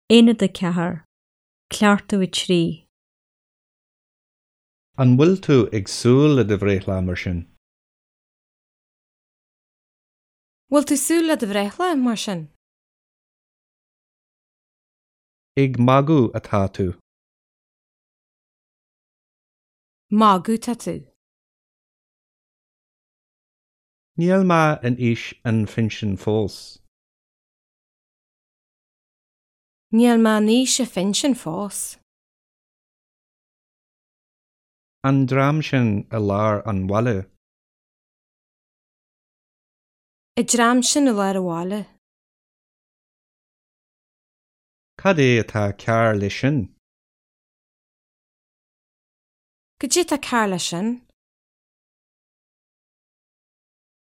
Aonad 4, Cleachtadh 3. An bhfuil tú ag súil le do bhreithlá mar sin? Bhfuil tú súil le do bhreithlá, mar sin? Ag magadh atá tú. Magadh tá tú. Níl mé in aois an phinsin fós. Níl mé in aois an phinsin fós. An dream sin i lár an bhaile. An dream sin i lár an bhaile. Cad é atá cearr leis sin? Cad é atá cearr leis sin?